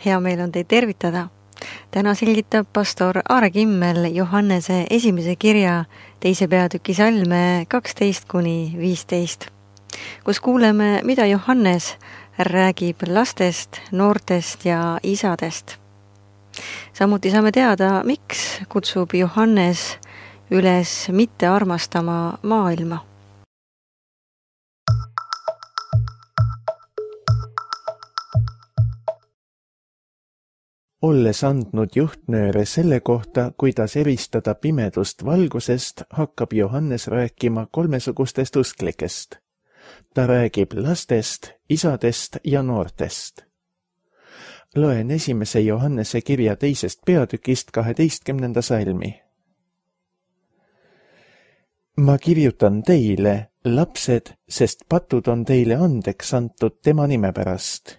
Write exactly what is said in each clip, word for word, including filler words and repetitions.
hea meel on teid tervitada. Täna selgitab pastor Aare Kimmel Johannese esimese kirja teise peatüki salme kaksteist kuni viisteist, kus kuuleme, mida Johannes räägib lastest, noortest ja isadest. Samuti saame teada, miks kutsub Johannes üles mitte armastama maailma. Olles andnud juhtnööre selle kohta, kuidas eristada pimedust valgusest, hakkab Johannes rääkima kolmesugustest usklikest. Ta räägib lastest, isadest ja noortest. Loen esimese Johannese kirja teisest peatükist kaheteistkümnenda salmi. Ma kirjutan teile, lapsed, sest patud on teile andeks antud tema nime pärast.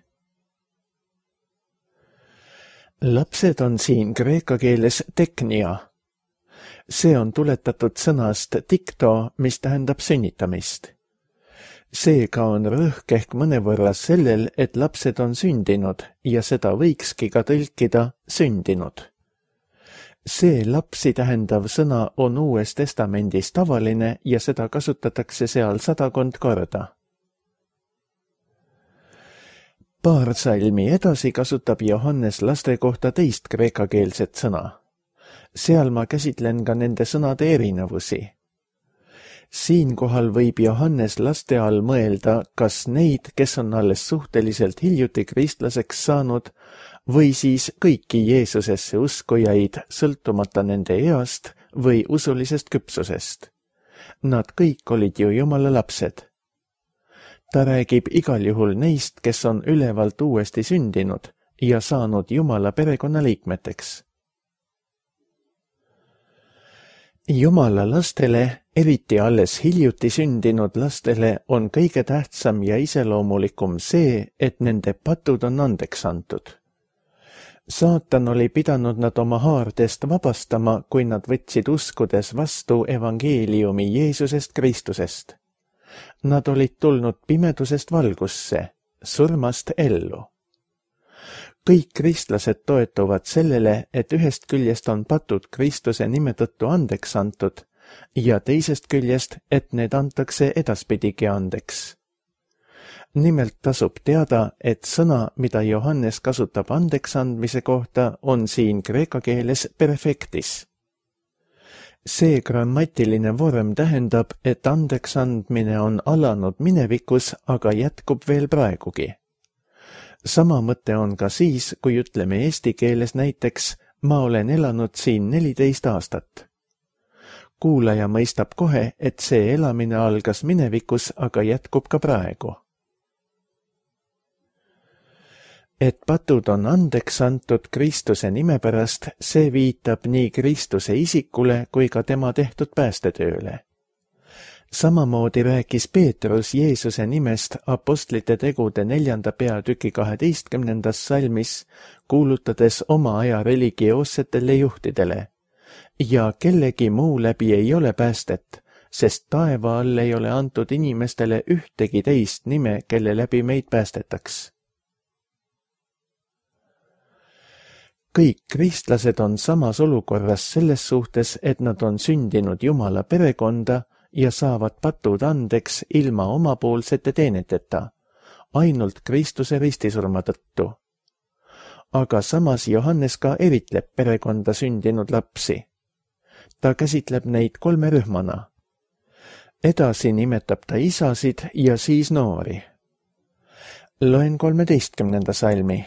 Lapsed on siin kreeka keeles teknia. See on tuletatud sõnast tikto, mis tähendab sünnitamist. Seega on rõhk ehk mõnevõrra sellel, et lapsed on sündinud ja seda võikski ka tõlkida sündinud. See lapsi tähendav sõna on Uues Testamendis tavaline ja seda kasutatakse seal sadakond korda. Paar salmi edasi kasutab Johannes laste kohta teist kreekakeelset sõna. Seal ma käsitlen ka nende sõnade erinevusi. Siinkohal võib Johannes laste all mõelda, kas neid, kes on alles suhteliselt hiljuti kristlaseks saanud, või siis kõiki Jeesusesse uskujaid, sõltumata nende east või usulisest küpsusest. Nad kõik olid ju Jumala lapsed. Ta räägib igal juhul neist, kes on ülevalt uuesti sündinud ja saanud Jumala perekonna liikmeteks. Jumala lastele, eriti alles hiljuti sündinud lastele, on kõige tähtsam ja iseloomulikum see, et nende patud on andeks antud. Saatan oli pidanud nad oma haardest vabastama, kui nad võtsid uskudes vastu evangeeliumi Jeesusest Kristusest. Nad olid tulnud pimedusest valgusse, surmast ellu. Kõik kristlased toetuvad sellele, et ühest küljest on patud Kristuse nime tõttu andeks antud ja teisest küljest, et need antakse edaspidigi andeks. Nimelt tasub teada, et sõna, mida Johannes kasutab andeks andmise kohta, on siin kreeka keeles perfektis. See grammatiline vorm tähendab, et andeks andmine on alanud minevikus, aga jätkub veel praegugi. Sama mõte on ka siis, kui ütleme eesti keeles näiteks, ma olen elanud siin neliteist aastat. Kuulaja mõistab kohe, et see elamine algas minevikus, aga jätkub ka praegu. Et patud on andeks antud Kristuse nime pärast, see viitab nii Kristuse isikule kui ka tema tehtud päästetööle. Samamoodi rääkis Peetrus Jeesuse nimest apostlite tegude neljanda peatüki kaheteistkümnendas salmis, kuulutades oma aja religioossetele juhtidele. Ja kellegi muu läbi ei ole päästet, sest taeva all ei ole antud inimestele ühtegi teist nime, kelle läbi meid päästetaks. Kõik kristlased on samas olukorras selles suhtes, et nad on sündinud Jumala perekonda ja saavad patud andeks ilma omapoolsete teeneteta, ainult Kristuse ristisurma tõttu. Aga samas Johannes ka eritleb perekonda sündinud lapsi. Ta käsitleb neid kolme rühmana. Edasi nimetab ta isasid ja siis noori. Loen kolmeteistkümnenda salmi.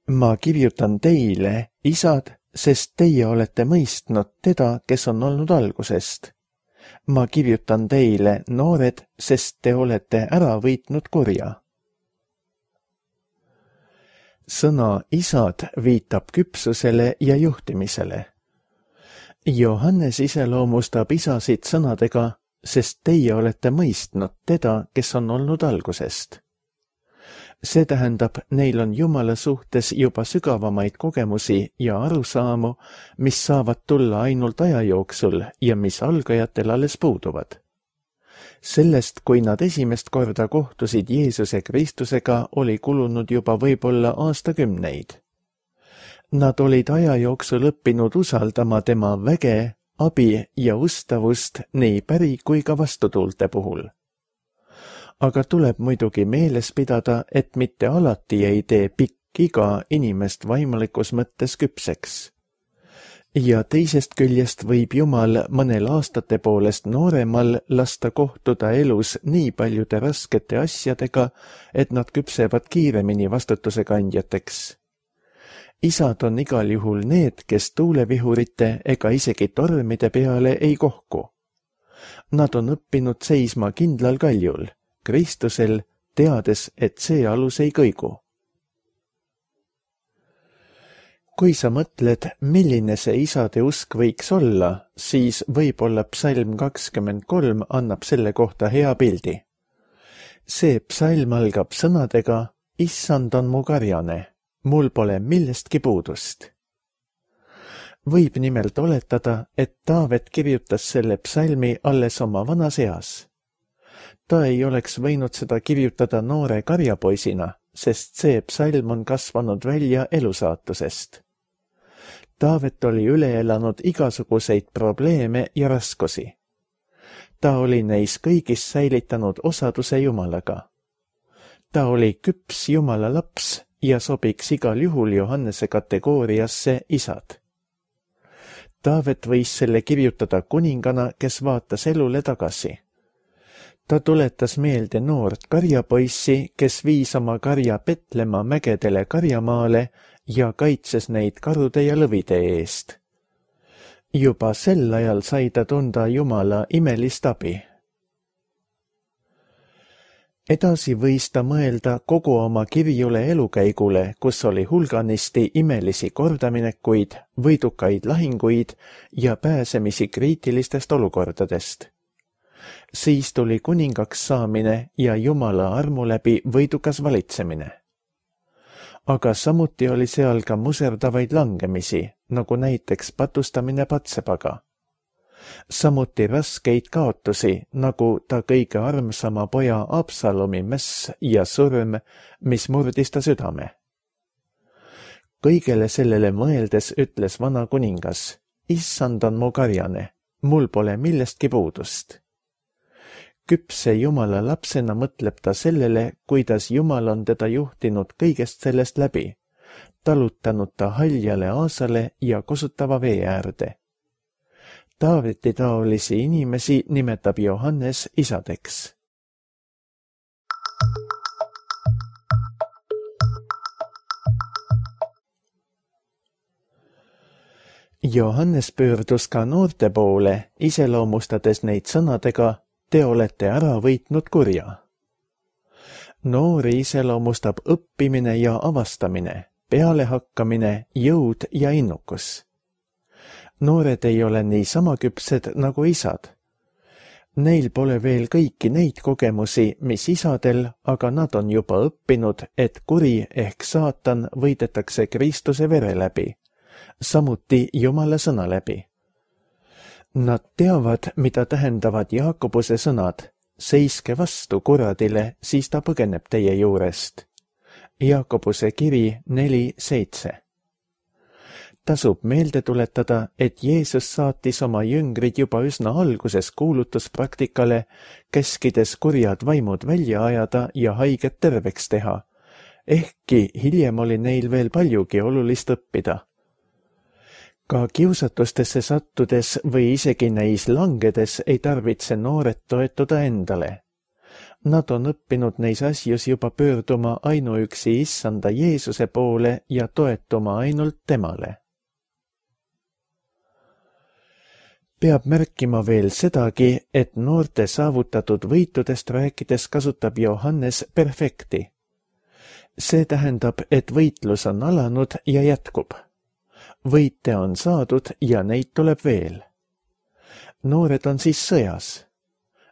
Ma kirjutan teile, isad, sest teie olete mõistnud teda, kes on olnud algusest. Ma kirjutan teile, noored, sest te olete ära võitnud kurja. Sõna isad viitab küpsusele ja juhtimisele. Johannes iseloomustab isasid sõnadega, sest teie olete mõistnud teda, kes on olnud algusest. See tähendab, neil on Jumala suhtes juba sügavamaid kogemusi ja arusaamu, mis saavad tulla ainult aja jooksul ja mis algajatel alles puuduvad. Sellest, kui nad esimest korda kohtusid Jeesuse Kristusega, oli kulunud juba võib-olla aastakümneid. Nad olid aja jooksul õppinud usaldama tema väge, abi ja ustavust nii päri kui ka vastutuulte puhul. Aga tuleb muidugi meeles pidada, et mitte alati ei tee pikk iga inimest vaimulikus mõttes küpseks. Ja teisest küljest võib Jumal mõnel aastate poolest nooremal lasta kohtuda elus nii paljude raskete asjadega, et nad küpsevad kiiremini vastutuse kandjateks. Isad on igal juhul need, kes tuulevihurite ega isegi tormide peale ei kohku. Nad on õppinud seisma kindlal kaljul, Kristusel, teades, et see alus ei kõigu. Kui sa mõtled, milline see isade usk võiks olla, siis võib-olla psalm kakskümmend kolm annab selle kohta hea pildi. See psalm algab sõnadega, issand on mu karjane, mul pole millestki puudust. Võib nimelt oletada, et Taavet kirjutas selle psalmi alles oma vanas eas. Ta ei oleks võinud seda kirjutada noore karjapoisina, sest see psalm on kasvanud välja elusaatusest. Taavet oli üle elanud igasuguseid probleeme ja raskusi. Ta oli neis kõigis säilitanud osaduse Jumalaga. Ta oli küps Jumala laps ja sobiks igal juhul Johannese kategooriasse isad. Taavet võis selle kirjutada kuningana, kes vaatas elule tagasi. Ta tuletas meelde noort karjapoissi, kes viis oma karja Betlema mägedele karjamaale ja kaitses neid karude ja lõvide eest. Juba sel ajal sai ta tunda Jumala imelist abi. Edasi võis ta mõelda kogu oma kirjule elukäigule, kus oli hulganisti imelisi kordaminekuid, võidukaid lahinguid ja pääsemisi kriitilistest olukordadest. Siis tuli kuningaks saamine ja Jumala armu läbi võidukas valitsemine. Aga samuti oli seal ka muserdavaid langemisi, nagu näiteks patustamine Patsebaga. Samuti raskeid kaotusi, nagu ta kõige armsama poja Absalomi mäss ja surm, mis murdis ta südame. Kõigele sellele mõeldes ütles vana kuningas, issand on mu karjane, mul pole millestki puudust. Küpse Jumala lapsena mõtleb ta sellele, kuidas Jumal on teda juhtinud kõigest sellest läbi, talutanud ta haljale aasale ja kosutava vee äärde. Taaveti taolisi inimesi nimetab Johannes isadeks. Johannes pöördus ka noorte poole, iseloomustades neid sõnadega, te olete ära võitnud kurja. Noori iseloomustab õppimine ja avastamine, pealehakkamine, jõud ja innukus. Noored ei ole nii sama küpsed nagu isad. Neil pole veel kõiki neid kogemusi, mis isadel, aga nad on juba õppinud, et kuri ehk saatan võidetakse Kristuse vere läbi, samuti Jumala sõna läbi. Nad teavad, mida tähendavad Jaakobuse sõnad, seiske vastu kuradile, siis ta põgeneb teie juurest. Jaakobuse kiri neli seitse. Tasub meelde tuletada, et Jeesus saatis oma jüngrid juba üsna alguses kuulutuspraktikale, keskides kurjad vaimud välja ajada ja haiget terveks teha, ehkki hiljem oli neil veel paljugi olulist õppida. Ka kiusatustesse sattudes või isegi neis langedes ei tarvitse noored toetuda endale. Nad on õppinud neis asjus juba pöörduma ainuüksi issanda Jeesuse poole ja toetuma ainult temale. Peab märkima veel sedagi, et noorte saavutatud võitudest rääkides kasutab Johannes perfekti. See tähendab, et võitlus on alanud ja jätkub. Võite on saadud ja neid tuleb veel. Noored on siis sõjas.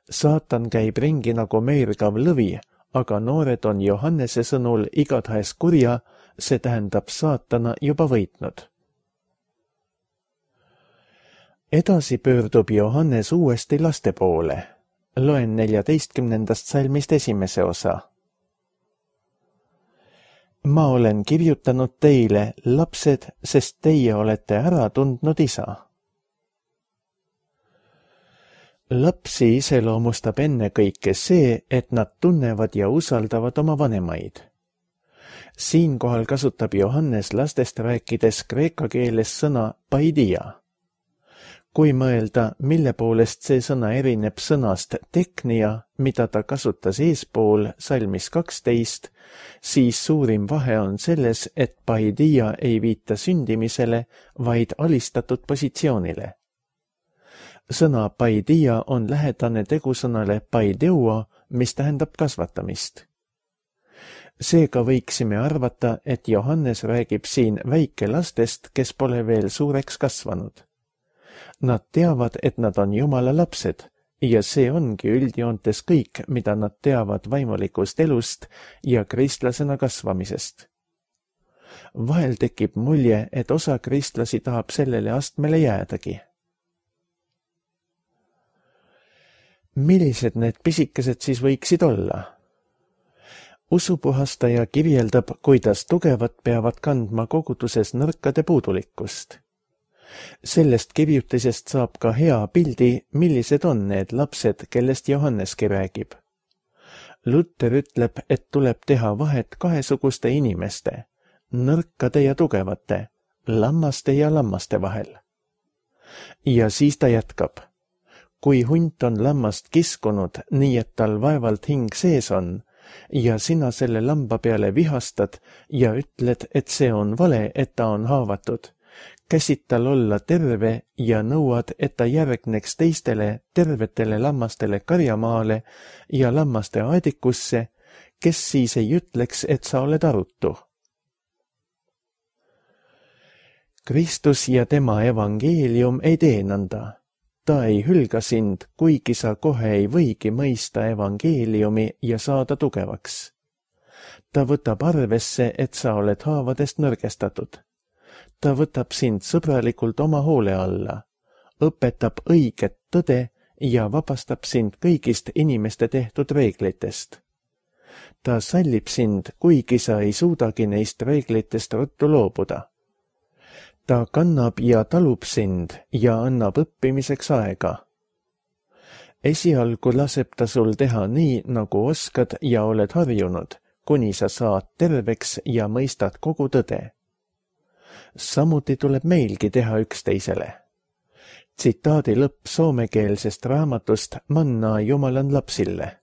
Saatan käib ringi nagu meergav lõvi, aga noored on Johannese sõnul igatahes kurja, see tähendab saatana juba võitnud. Edasi pöördub Johannes uuesti laste poole. Loen neljateistkümnendast salmist esimese osa. Ma olen kirjutanud teile, lapsed, sest teie olete ära tundnud isa. Lapsi iseloomustab ennekõike see, et nad tunnevad ja usaldavad oma vanemaid. Siinkohal kasutab Johannes lastest rääkides kreeka keeles sõna paidia. Kui mõelda, mille poolest see sõna erineb sõnast teknia, mida ta kasutas eespool salmis kaksteist, siis suurim vahe on selles, et paidia ei viita sündimisele, vaid alistatud positsioonile. Sõna paidia on lähedane tegusõnale paideua, mis tähendab kasvatamist. Seega võiksime arvata, et Johannes räägib siin väikelastest, kes pole veel suureks kasvanud. Nad teavad, et nad on Jumala lapsed ja see ongi üldjoontes kõik, mida nad teavad vaimulikust elust ja kristlasena kasvamisest. Vahel tekib mulje, et osa kristlasi tahab sellele astmele jäädagi. Millised need pisikesed siis võiksid olla? Usupuhastaja kirjeldab, kuidas tugevad peavad kandma koguduses nõrkade puudulikkust. Sellest kirjutisest saab ka hea pildi, millised on need lapsed, kellest Johanneski räägib. Luther ütleb, et tuleb teha vahet kahesuguste inimeste, nõrkade ja tugevate, lammaste ja lammaste vahel. Ja siis ta jätkab. Kui hunt on lammast kiskunud, nii et tal vaevalt hing sees on, ja sina selle lamba peale vihastad ja ütled, et see on vale, et ta on haavatud, käsid tal olla terve ja nõuad, et ta järgneks teistele tervetele lammastele karjamaale ja lammaste aedikusse, kes siis ei ütleks, et sa oled arutu. Kristus ja tema evangeelium ei tee nõnda. Ta ei hülga sind, kuigi sa kohe ei võigi mõista evangeeliumi ja saada tugevaks. Ta võtab arvesse, et sa oled haavadest nõrgestatud. Ta võtab sind sõbralikult oma hoole alla, õpetab õiget tõde ja vabastab sind kõigist inimeste tehtud reeglitest. Ta sallib sind, kuigi sa ei suudagi neist reeglitest ruttu loobuda. Ta kannab ja talub sind ja annab õppimiseks aega. Esialgu laseb ta sul teha nii, nagu oskad ja oled harjunud, kuni sa saad terveks ja mõistad kogu tõde. Samuti tuleb meilgi teha üksteisele. Tsitaadi lõpp soomekeelsest raamatust Manna Jumalan lapsille.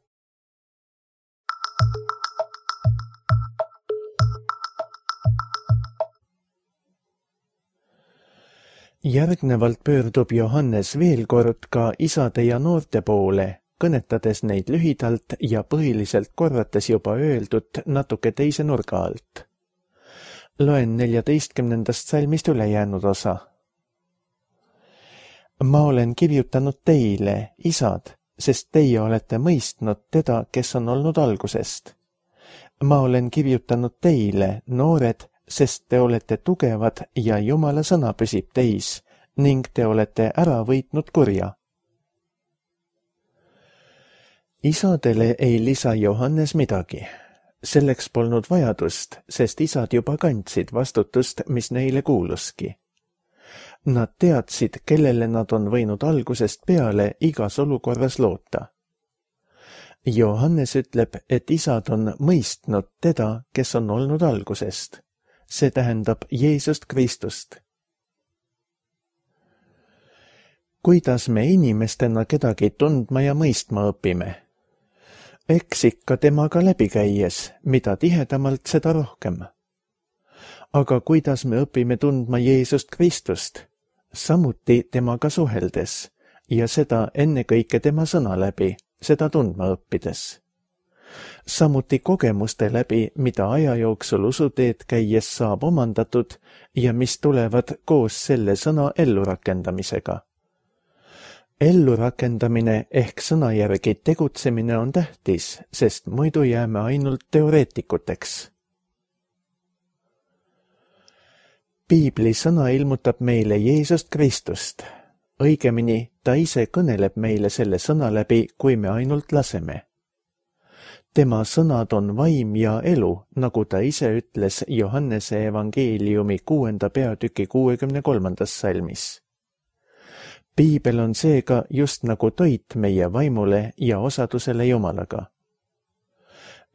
Järgnevalt pöördub Johannes veel kord ka isade ja noorte poole, kõnetades neid lühidalt ja põhiliselt korrates juba öeldud natuke teise nurga alt. Loen neljateistkümnendast salmist ülejäänud osa. Ma olen kirjutanud teile, isad, sest teie olete mõistnud teda, kes on olnud algusest. Ma olen kirjutanud teile, noored, sest te olete tugevad ja Jumala sõna püsib teis ning te olete ära võitnud kurja. Isadele ei lisa Johannes midagi. Selleks polnud vajadust, sest isad juba kandsid vastutust, mis neile kuuluski. Nad teadsid, kellele nad on võinud algusest peale igas olukorras loota. Johannes ütleb, et isad on mõistnud teda, kes on olnud algusest. See tähendab Jeesust Kristust. Kuidas me inimestena kedagi tundma ja mõistma õpime? Eks ikka temaga läbi käies, mida tihedamalt, seda rohkem. Aga kuidas me õpime tundma Jeesust Kristust? Samuti temaga suheldes ja seda ennekõike tema sõna läbi, seda tundma õppides. Samuti kogemuste läbi, mida aja jooksul usuteed käies saab omandatud ja mis tulevad koos selle sõna ellurakendamisega. Ellurakendamine ehk sõna järgi tegutsemine on tähtis, sest muidu jääme ainult teoreetikuteks. Piibli sõna ilmutab meile Jeesust Kristust. õigemini ta ise kõneleb meile selle sõna läbi, kui me ainult laseme. Tema sõnad on vaim ja elu, nagu ta ise ütles Johannese evangeeliumi kuuenda peatüki kuuekümne kolmandas salmis. Piibel on seega just nagu toit meie vaimule ja osadusele Jumalaga.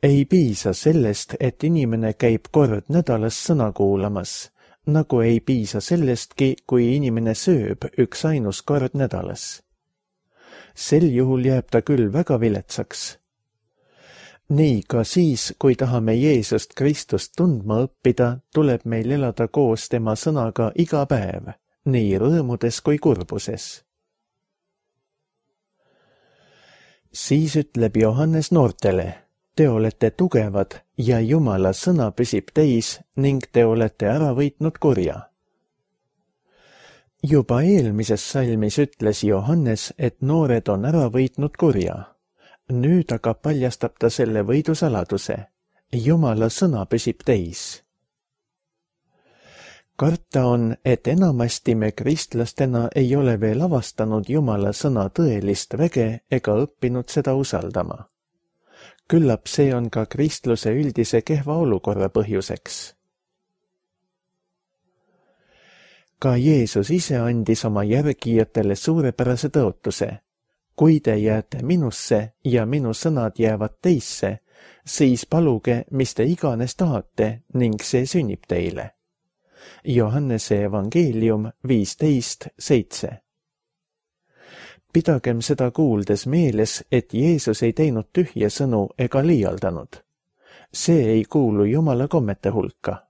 Ei piisa sellest, et inimene käib kord nädalas sõna kuulamas, nagu ei piisa sellestki, kui inimene sööb üks ainus kord nädalas. Sel juhul jääb ta küll väga viletsaks. Nii ka siis, kui tahame Jeesust Kristust tundma õppida, tuleb meil elada koos tema sõnaga iga päev, nii rõõmudes kui kurbuses. Siis ütleb Johannes noortele, te olete tugevad ja Jumala sõna püsib teis ning te olete ära võitnud kurja. Juba eelmises salmis ütles Johannes, et noored on ära võitnud kurja. Nüüd aga paljastab ta selle võidu saladuse. Jumala sõna püsib teis. Karta on, et enamasti me kristlastena ei ole veel avastanud Jumala sõna tõelist väge ega õppinud seda usaldama. Küllap see on ka kristluse üldise kehva olukorra põhjuseks. Ka Jeesus ise andis oma järgijatele suurepärase tõotuse. Kui te jääte minusse ja minu sõnad jäävad teisse, siis paluge, mis te iganes tahate ning see sünnib teile. Johannese evangeelium viisteist seitse. Pidagem seda kuuldes meeles, et Jeesus ei teinud tühje sõnu ega liialdanud. See ei kuulu Jumala kommete hulka.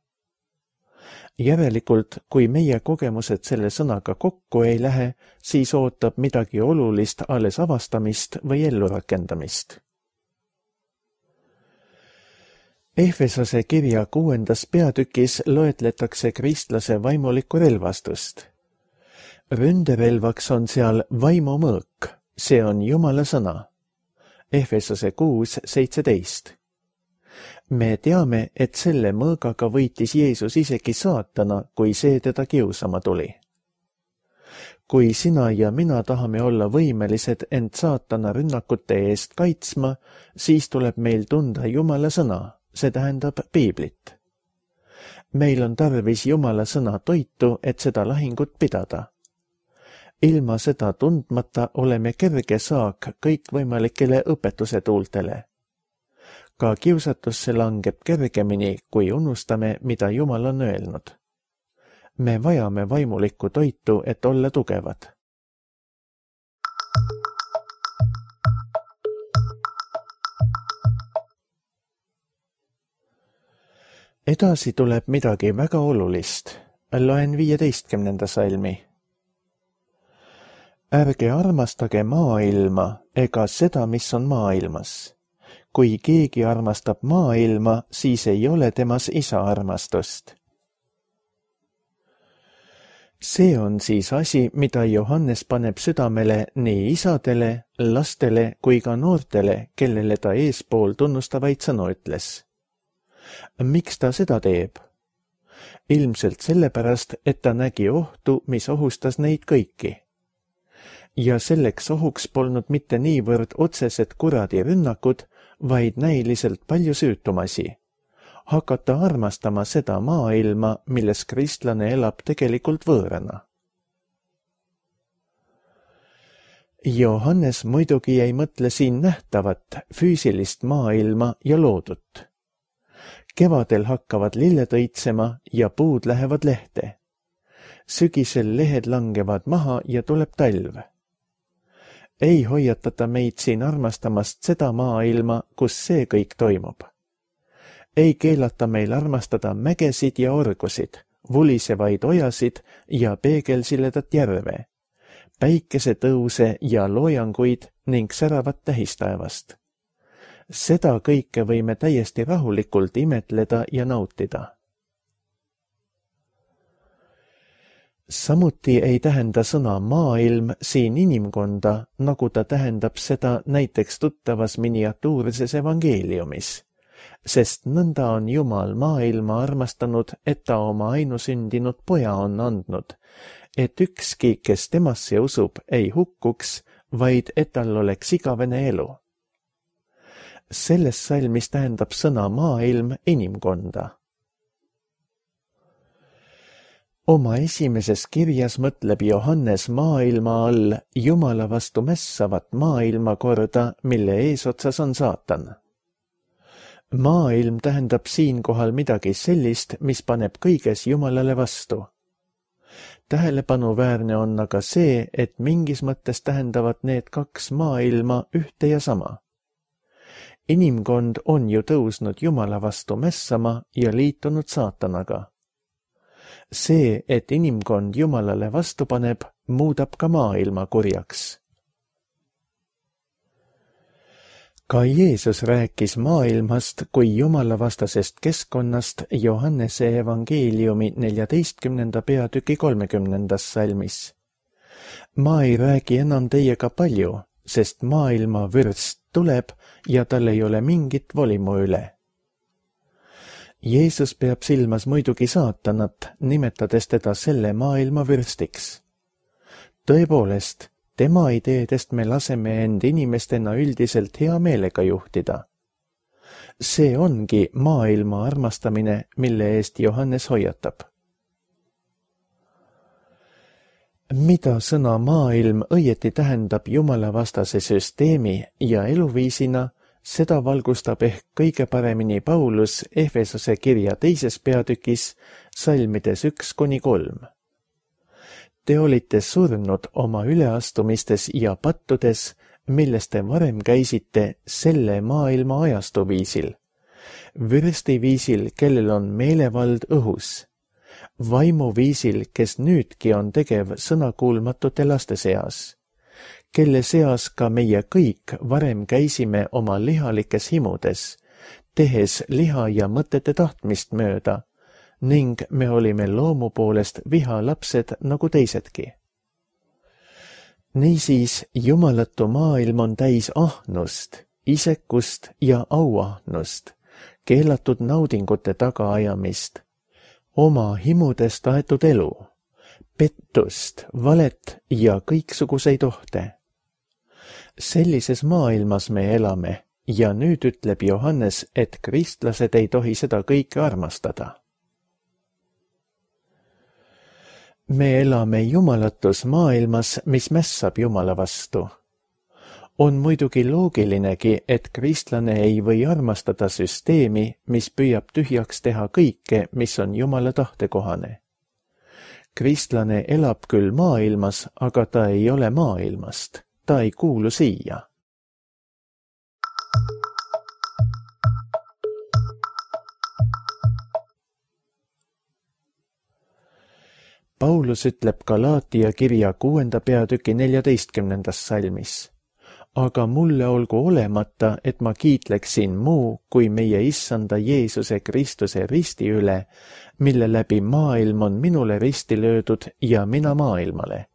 Järelikult, kui meie kogemused selle sõnaga kokku ei lähe, siis ootab midagi olulist alles avastamist või ellurakendamist. Efesose kirja kuuendas peatükis loetletakse kristlase vaimulikku relvastust. Ründerelvaks on seal vaimumõõk, see on Jumala sõna. Efesose kuus seitseteist. Me teame, et selle mõõgaga võitis Jeesus isegi saatana, kui see teda kiusama tuli. Kui sina ja mina tahame olla võimelised end saatana rünnakute eest kaitsma, siis tuleb meil tunda Jumala sõna, see tähendab Piiblit. Meil on tarvis Jumala sõna toitu, et seda lahingut pidada. Ilma seda tundmata oleme kerge saak kõikvõimalikele õpetuse tuultele. Ka kiusatusse langeb kergemini, kui unustame, mida Jumal on öelnud. Me vajame vaimulikku toitu, et olla tugevad. Edasi tuleb midagi väga olulist. Loen viieteistkümnenda salmi. Ärge armastage maailma ega seda, mis on maailmas. Kui keegi armastab maailma, siis ei ole temas isa armastust. See on siis asi, mida Johannes paneb südamele nii isadele, lastele kui ka noortele, kellele ta eespool tunnustavaid sõnu ütles. Miks ta seda teeb? Ilmselt sellepärast, et ta nägi ohtu, mis ohustas neid kõiki. Ja selleks ohuks polnud mitte niivõrd otsesed kuradi rünnakud, vaid näiliselt palju süütumasi. Hakata armastama seda maailma, milles kristlane elab tegelikult võõrana. Johannes muidugi ei mõtle siin nähtavat, füüsilist maailma ja loodut. Kevadel hakkavad lilled õitsema ja puud lähevad lehte. Sügisel lehed langevad maha ja tuleb talv. Ei hoiatata meid siin armastamast seda maailma, kus see kõik toimub. Ei keelata meil armastada mägesid ja orgusid, vulisevaid ojasid ja peegelsiledat järve, päikesetõuse ja loojanguid ning säravat tähistaevast. Seda kõike võime täiesti rahulikult imetleda ja nautida. Samuti ei tähenda sõna maailm siin inimkonda, nagu ta tähendab seda näiteks tuttavas miniatuurses evangeeliumis, sest nõnda on Jumal maailma armastanud, et ta oma ainusündinud poja on andnud, et ükski, kes temasse usub, ei hukkuks, vaid et tal oleks igavene elu. Selles salmis tähendab sõna maailm inimkonda. Oma esimeses kirjas mõtleb Johannes maailma all Jumala vastu mässavat maailmakorda, mille eesotsas on saatan. Maailm tähendab siinkohal midagi sellist, mis paneb kõiges Jumalale vastu. Tähelepanuväärne on aga see, et mingis mõttes tähendavad need kaks maailma ühte ja sama. Inimkond on ju tõusnud Jumala vastu mässama ja liitunud saatanaga. See, et inimkond Jumalale vastu paneb, muudab ka maailma kurjaks. Ka Jeesus rääkis maailmast kui Jumala vastasest keskkonnast Johannese evangeeliumi neljateistkümnenda peatüki kolmekümnendas salmis. Ma ei räägi enam teiega palju, sest maailma vürst tuleb ja tal ei ole mingit volimu üle. Jeesus peab silmas muidugi saatanat, nimetades teda selle maailma vürstiks. Tõepoolest, tema ideedest me laseme end inimestena üldiselt hea meelega juhtida. See ongi maailma armastamine, mille eest Johannes hoiatab. Mida sõna maailm õieti tähendab Jumala vastase süsteemi ja eluviisina, seda valgustab ehk kõige paremini Paulus Efesose kirja teises peatükis, salmides üks kuni kolm. Te olite surnud oma üleastumistes ja pattudes, milles te varem käisite selle maailma ajastuviisil, vürstiviisil, kellel on meelevald õhus, vaimuviisil, kes nüüdki on tegev sõnakuulmatute laste seas, kelle seas ka meie kõik varem käisime oma lihalikes himudes, tehes liha ja mõtete tahtmist mööda, ning me olime loomu poolest vihalapsed nagu teisedki. Niisiis, jumalatu maailm on täis ahnust, isekust ja auahnust, keelatud naudingute tagaajamist, oma himudes taetud elu, pettust, valet ja kõiksuguseid ohte. Sellises maailmas me elame ja nüüd ütleb Johannes, et kristlased ei tohi seda kõike armastada. Me elame jumalatus maailmas, mis mässab Jumala vastu. On muidugi loogilinegi, et kristlane ei või armastada süsteemi, mis püüab tühjaks teha kõike, mis on Jumala tahtekohane. Kristlane elab küll maailmas, aga ta ei ole maailmast. Ta ei kuulu siia. Paulus ütleb Galaatia kirja kuuenda peatüki neljateistkümnendas salmis. Aga mulle olgu olemata, et ma kiitleksin muu kui meie issanda Jeesuse Kristuse risti üle, mille läbi maailm on minule risti löödud ja mina maailmale.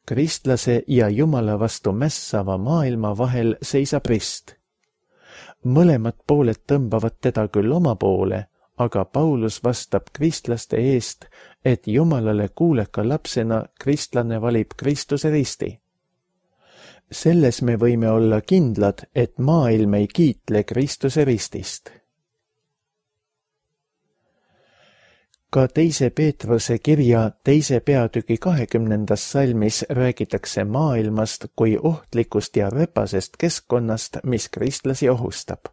Kristlase ja Jumala vastu mässava maailma vahel seisab rist. Mõlemad pooled tõmbavad teda küll oma poole, aga Paulus vastab kristlaste eest, et Jumalale kuuleka lapsena kristlane valib Kristuse risti. Selles me võime olla kindlad, et maailm ei kiitle Kristuse ristist. Ka teise Peetruse kirja teise peatüki kahekümnendas salmis räägitakse maailmast kui ohtlikust ja räpasest keskkonnast, mis kristlasi ohustab.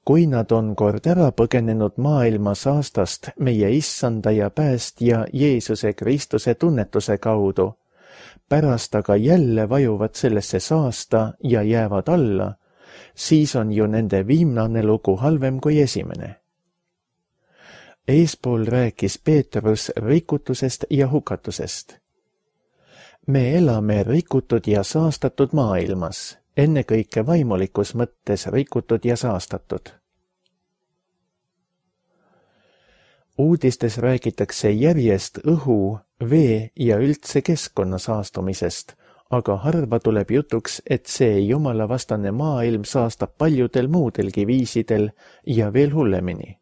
Kui nad on kord ära põgenenud maailma saastast meie issanda ja päästja Jeesuse Kristuse tunnetuse kaudu, pärast aga jälle vajuvad sellesse saasta ja jäävad alla, siis on ju nende viimane lugu halvem kui esimene. Eespool rääkis Peetrus rikutusest ja hukatusest. Me elame rikutud ja saastatud maailmas, ennekõike vaimulikus mõttes rikutud ja saastatud. Uudistes räägitakse järjest õhu, vee ja üldse keskkonna saastumisest, aga harva tuleb jutuks, et see jumalavastane maailm saastab paljudel muudelgi viisidel ja veel hullemini.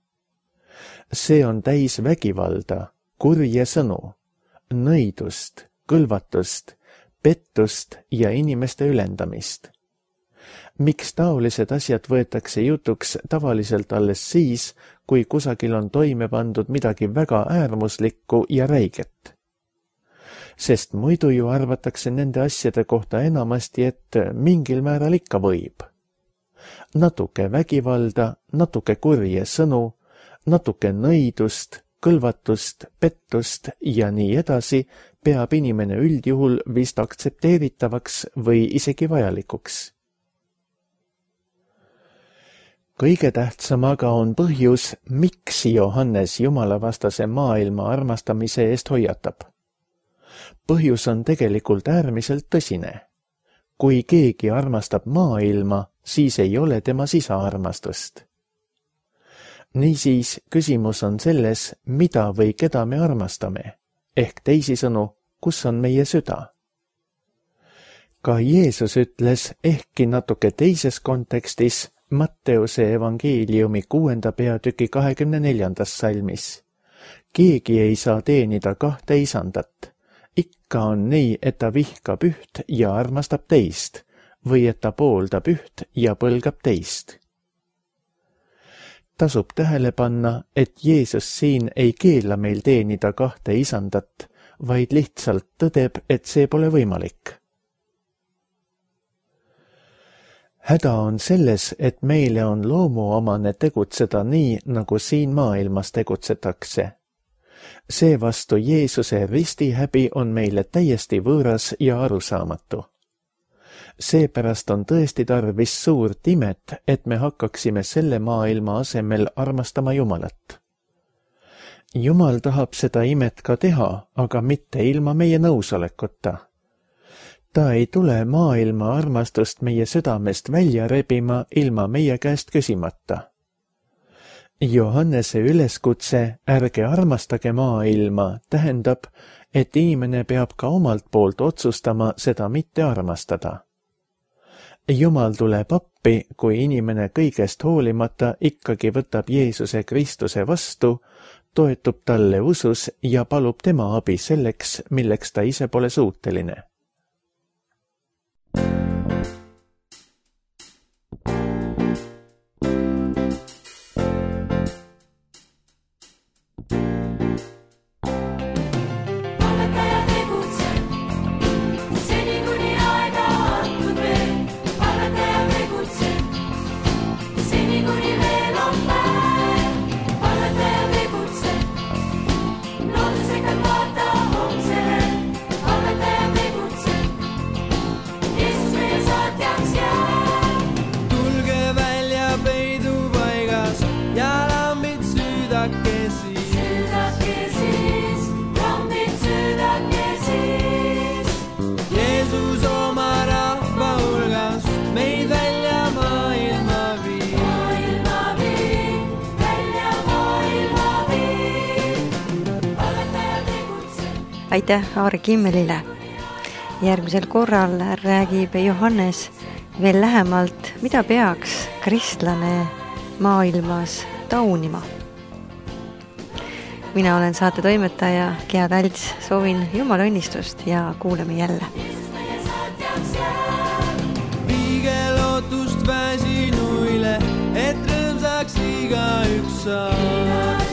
See on täis vägivalda, kurje sõnu, nõidust, kõlvatust, pettust ja inimeste ülendamist. Miks taolised asjad võetakse jutuks tavaliselt alles siis, kui kusagil on toime pandud midagi väga äärmuslikku ja räiget? Sest muidu ju arvatakse nende asjade kohta enamasti, et mingil määral ikka võib. Natuke vägivalda, natuke kurje sõnu, natuke nõidust, kõlvatust, pettust ja nii edasi peab inimene üldjuhul vist aktsepteeritavaks või isegi vajalikuks. Kõige tähtsam aga on põhjus, miks Johannes jumalavastase maailma armastamise eest hoiatab. Põhjus on tegelikult äärmiselt tõsine. Kui keegi armastab maailma, siis ei ole tema sisaarmastust. Niisiis, küsimus on selles, mida või keda me armastame, ehk teisisõnu, kus on meie süda. Ka Jeesus ütles ehkki natuke teises kontekstis Matteuse evangeeliumi kuuenda peatüki kahekümne neljandas salmis. Keegi ei saa teenida kahte isandat. Ikka on nii, et ta vihkab üht ja armastab teist, või et ta pooldab üht ja põlgab teist. Tasub tähele panna, et Jeesus siin ei keela meil teenida kahte isandat, vaid lihtsalt tõdeb, et see pole võimalik. Häda on selles, et meile on loomuomane tegutseda nii, nagu siin maailmas tegutsetakse. Seevastu Jeesuse ristihäbi on meile täiesti võõras ja arusaamatu. Seepärast on tõesti tarvis suurt imet, et me hakkaksime selle maailma asemel armastama Jumalat. Jumal tahab seda imet ka teha, aga mitte ilma meie nõusolekuta. Ta ei tule maailma armastust meie südamest välja rebima ilma meie käest küsimata. Johannese üleskutse ärge armastage maailma tähendab, et inimene peab ka omalt poolt otsustama seda mitte armastada. Jumal tuleb appi, kui inimene kõigest hoolimata ikkagi võtab Jeesuse Kristuse vastu, toetub talle usus ja palub tema abi selleks, milleks ta ise pole suuteline. Aitäh Aare Kimmelile. Järgmisel korral räägib Johannes veel lähemalt, mida peaks kristlane maailmas taunima. Mina olen saate toimetaja Gea Talts, soovin Jumala õnnistust ja kuuleme jälle. Viige lootust väsinuile, et rõõmsaks iga üks saab.